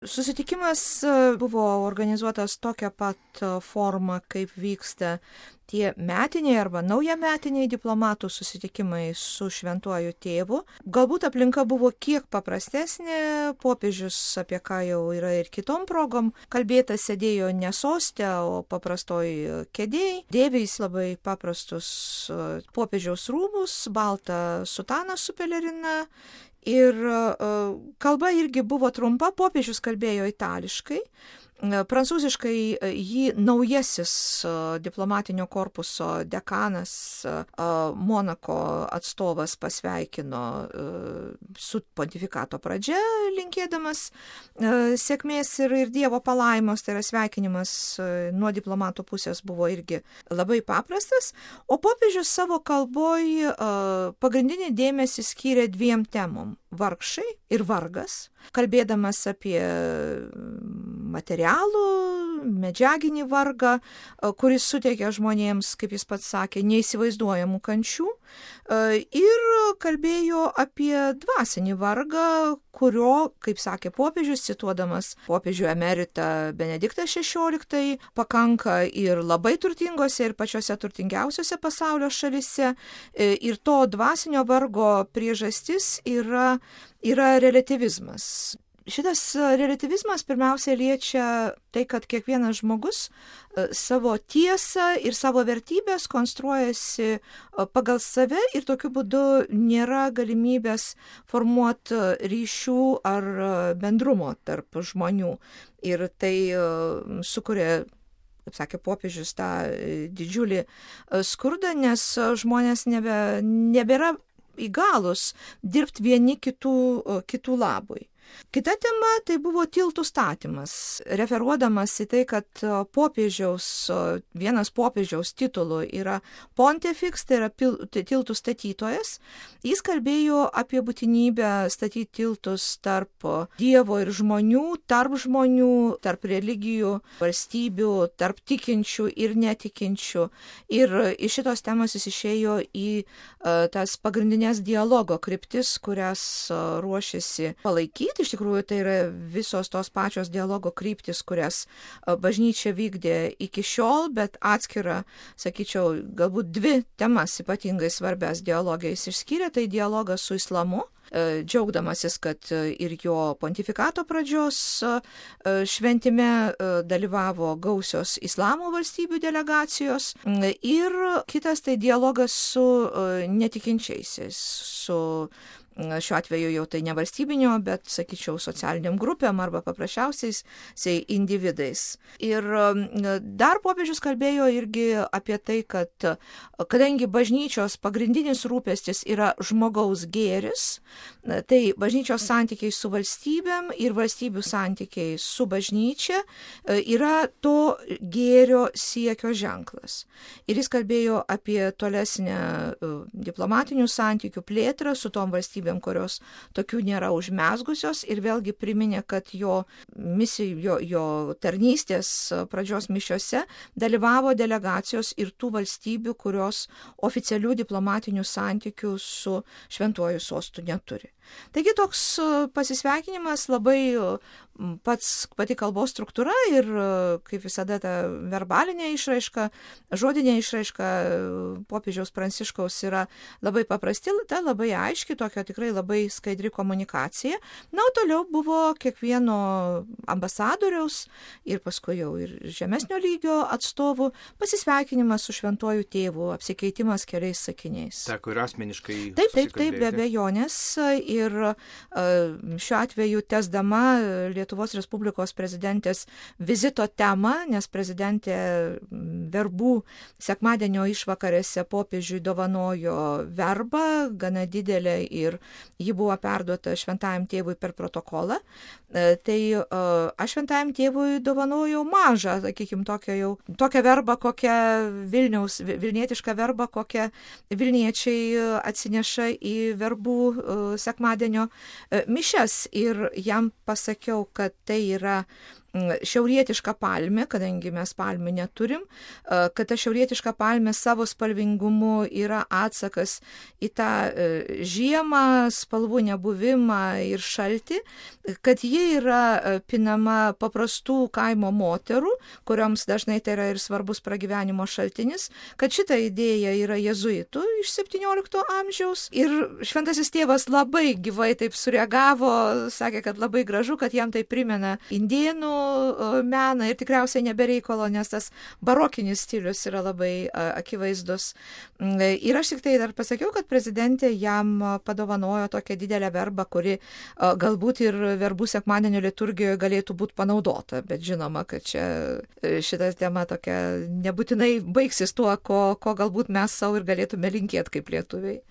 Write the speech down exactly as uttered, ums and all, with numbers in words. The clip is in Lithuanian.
Susitikimas buvo organizuotas tokia pat forma, kaip vyksta tie metiniai arba naujametiniai diplomatų susitikimai su šventuoju tėvu. Galbūt aplinka buvo kiek paprastesnė, popiežius, apie ką jau yra ir kitom progom, kalbėta sėdėjo ne soste, o paprastoj kėdėj, dėvė jis labai paprastus popiežiaus rūbus, baltą sutaną su pelerina. Ir kalba irgi buvo trumpa, popiežius kalbėjo itališkai. Prancūziškai jį naujasis diplomatinio korpuso dekanas Monako atstovas pasveikino su pontifikato pradžia, linkėdamas sėkmės ir, ir Dievo palaimos, tai yra sveikinimas nuo diplomato pusės buvo irgi labai paprastas, o popiežius savo kalboj pagrindinį dėmesį skyrė dviem temom - vargšai ir vargas, kalbėdamas apie materialų, medžiaginį vargą, kuris suteikia žmonėms, kaip jis pats sakė, neįsivaizduojamų kančių, ir kalbėjo apie dvasinį vargą, kurio, kaip sakė popiežius, cituodamas popiežių emeritą Benediktą šešioliktąjį, pakanka ir labai turtingose, ir pačiose turtingiausiose pasaulio šalise, ir to dvasinio vargo priežastis yra, yra relativizmas. Šitas relativizmas pirmiausia liečia tai, kad kiekvienas žmogus savo tiesą ir savo vertybės konstruojasi pagal save ir tokiu būdu nėra galimybės formuoti ryšių ar bendrumo tarp žmonių. Ir tai sukuria, kaip sakė popiežius, tą didžiulį skurdą, nes žmonės nebe, nebėra įgalus dirbti vieni kitų, kitų labui. Kita tema tai buvo tiltų statymas, referuodamas į tai, kad popiežiaus, vienas popiežiaus titulų yra pontifex, tai yra tiltų statytojas. Jis kalbėjo apie būtinybę statyti tiltus tarp Dievo ir žmonių, tarp žmonių, tarp religijų, valstybių, tarp tikinčių ir netikinčių. Ir iš šitos temos jis išėjo į tas pagrindinės dialogo kryptis, kurias ruošiasi palaikyti. Iš tikrųjų, tai yra visos tos pačios dialogo kryptis, kurias bažnyčia vykdė iki šiol, bet atskira, sakyčiau, galbūt dvi temas ypatingai svarbias dialogais išskyrė, tai dialogas su islamu, džiaugdamasis, kad ir jo pontifikato pradžios šventime dalyvavo gausios islamo valstybių delegacijos, ir kitas tai dialogas su netikinčiaisiais, su šiuo atveju jau tai ne valstybinio, bet, sakyčiau, socialiniam grupėm arba paprasčiausiais individais. Ir dar popiežius kalbėjo irgi apie tai, kad kadangi bažnyčios pagrindinis rūpestis yra žmogaus gėris, tai bažnyčios santykiai su valstybėm ir valstybių santykiai su bažnyčia yra to gėrio siekio ženklas. Ir jis kalbėjo apie tolesnę diplomatinių santykių plėtrą su tom valstybėm, kurios tokių nėra užmezgusios, ir vėlgi priminė, kad jo misijų, jo, jo tarnystės pradžios mišiose dalyvavo delegacijos ir tų valstybių, kurios oficialių diplomatinių santykių su šventuoju sostu neturi. Taigi toks pasisveikinimas, labai pats, pati kalbos struktūra ir, kaip visada, ta verbalinė išraiška, žodinė išraiška popiežiaus Pranciškaus yra labai paprasti, ta labai aiški, tokia tikrai labai skaidri komunikacija. Na, o toliau buvo kiekvieno ambasadoriaus ir paskui jau ir žemesnio lygio atstovų pasisveikinimas su šventuoju tėvu, apsikeitimas keliais sakiniais. Teko ir asmeniškai Taip, taip, taip, be abejonės. Ir šiuo atveju tęsdama Lietuvos Respublikos prezidentės vizito temą, nes prezidentė verbų sekmadienio išvakarėse popiežiui dovanojo verbą, gana didelę, ir ji buvo perduota šventajam tėvui per protokolą. Tai aš šventajam tėvui dovanojau mažą, sakykime, tokią jau, tokią verbą, kokią Vilniaus, vilnietišką verbą, kokią vilniečiai atsineša į verbų sekmadienio mišias, ir jam pasakiau, kad tai yra šiaurietiška palmė, kadangi mes palmių neturim, kad ta šiaurietiška palmė savo spalvingumu yra atsakas į tą žiemą, spalvų nebuvimą ir šaltį, kad ji yra pinama paprastų kaimo moterų, kurioms dažnai tai yra ir svarbus pragyvenimo šaltinis, kad šita idėja yra jezuitų iš septyniolikto amžiaus ir šventasis tėvas labai gyvai taip sureagavo, sakė, kad labai gražu, kad jam tai primena indėnų meną ir tikriausiai nebereikalo, nes tas barokinis stilius yra labai akivaizdus. Ir aš tik tai dar pasakiau, kad prezidentė jam padovanojo tokią didelę verbą, kuri galbūt ir verbų sekmadienio liturgijoje galėtų būti panaudota, bet žinoma, kad čia šita tema tokia nebūtinai baigsis tuo, ko, ko galbūt mes savo ir galėtume linkėti kaip lietuviai.